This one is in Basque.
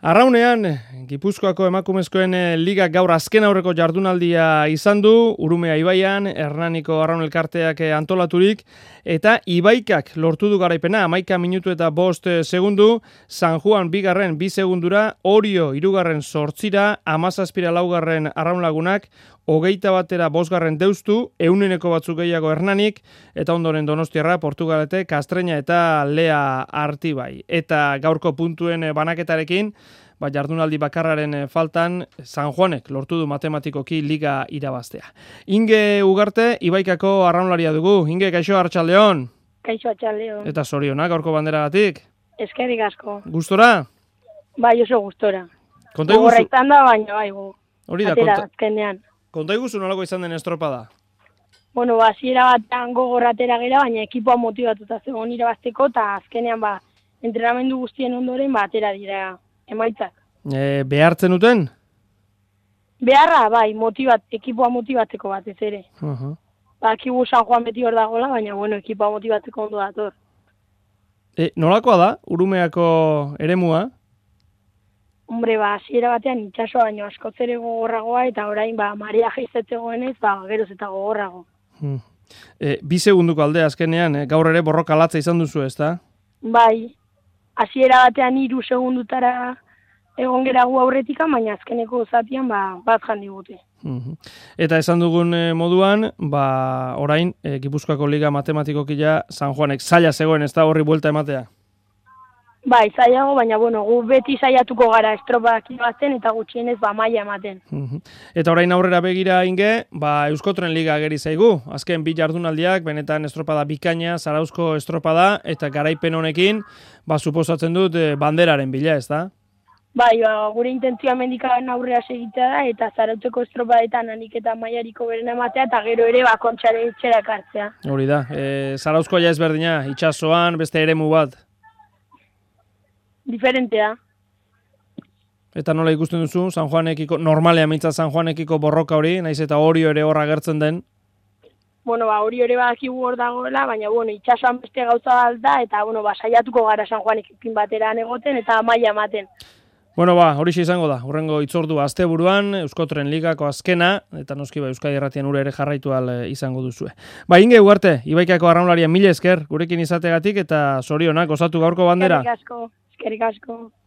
Arraunean, Gipuzkoako emakumezkoen liga gaur azken aurreko jardunaldia izan du, Urumea ibaian, Hernaniko Arraun elkarteak antolaturik, eta Ibaikak lortu du garaipena, 11 minutu eta 5 segundu, San Juan bigarren 2 segundura, Orio irugarren 8, 17 laugarren Arraun lagunak, 21 bosgarren deustu, euneneko batzuk gehiago Hernanik, eta ondoren Donostiarra, Portugalete, Kastreña eta Lea Artibai. Eta gaurko puntuen banaketarekin, jardunaldi bakarraren faltan, San Juanek lortu du matematikoki liga irabaztea. Inge Ugarte, Ibaikako arraunlaria dugu. Inge, kaixo, arratsaldeon. Kaixo, arratsaldeon. Eta zorionak gaurko banderagatik. Eskerrik asko. Gustora? Bai, oso gustora. Gogorra izan da, baina bai gu. Hori da, azkenean. Konta iguzu nolako izan den estropada? Bueno, hasiera batean gogorratera gera, baina ekipoa motibatuta zegoen irabazteko, eta azkenean entrenamendu guztien ondoren atera dira emaitzak. Behartzen duten? Beharra, bai, ekipoa motibatzeko batez ere. Akigu San Juan beti hor dagoela, baina ekipoa motibatzeko ondo dator. Nolakoa da, Urumeako eremua? Hombre, hasiera batean itsasoa baino askoz ere gogorragoa, eta orain marea jaiztetzegoenez, geroz eta gogorrago. 2 segunduko aldea azkenean, gaur ere borroka latza izan duzu, ezta? Bai, hasiera batean 3 segundutara egon gera gu aurretika, baina azkeneko zatian bat jandigute. Eta esan dugun moduan, orain, Gipuzkoako Liga matematikokia San Juanek zaila zegoen, ez da horri buelta ematea? Bai, zailago, baina gu beti saiatuko gara estropak irabazten eta gutxienez maila ematen. Eta orain aurrera begira Inge, Euskotren Liga ageri zaigu. Azken 2 jardunaldiak, benetan estropada bikaina, Zarauzko estropada, eta garaipen honekin, suposatzen dut banderaren bila, ez da? Bai, gure intentzioa mendikaren aurrera segitea da, eta Zarautzeko estropadetan hanik eta mailariko beren ematea, eta gero ere kontxare etxera ekartzea. Hori da, Zarauzkoa ja ezberdina, itsasoan, beste eremu bat. Diferentea. Eta nola ikusten duzu, San Juanekiko, normalea mintza San Juanekiko borroka hori, naiz eta Orio ere horra agertzen den? Orio ere badakigu hor dagoela, baina itsasoan beste gauza da, eta saiatuko gara San Juanekin bateran egoten, eta maila ematen. Horixe izango da, hurrengo itzordua asteburuan, Euskotren Ligako azkena, eta noski Euskadi Irratian ure ere jarraitu izango duzue. Inge Ugarte, Ibaikako arraunlaria mila esker, gurekin izategatik, eta zorionak, osatu gaurko bandera. Eskerrik asko.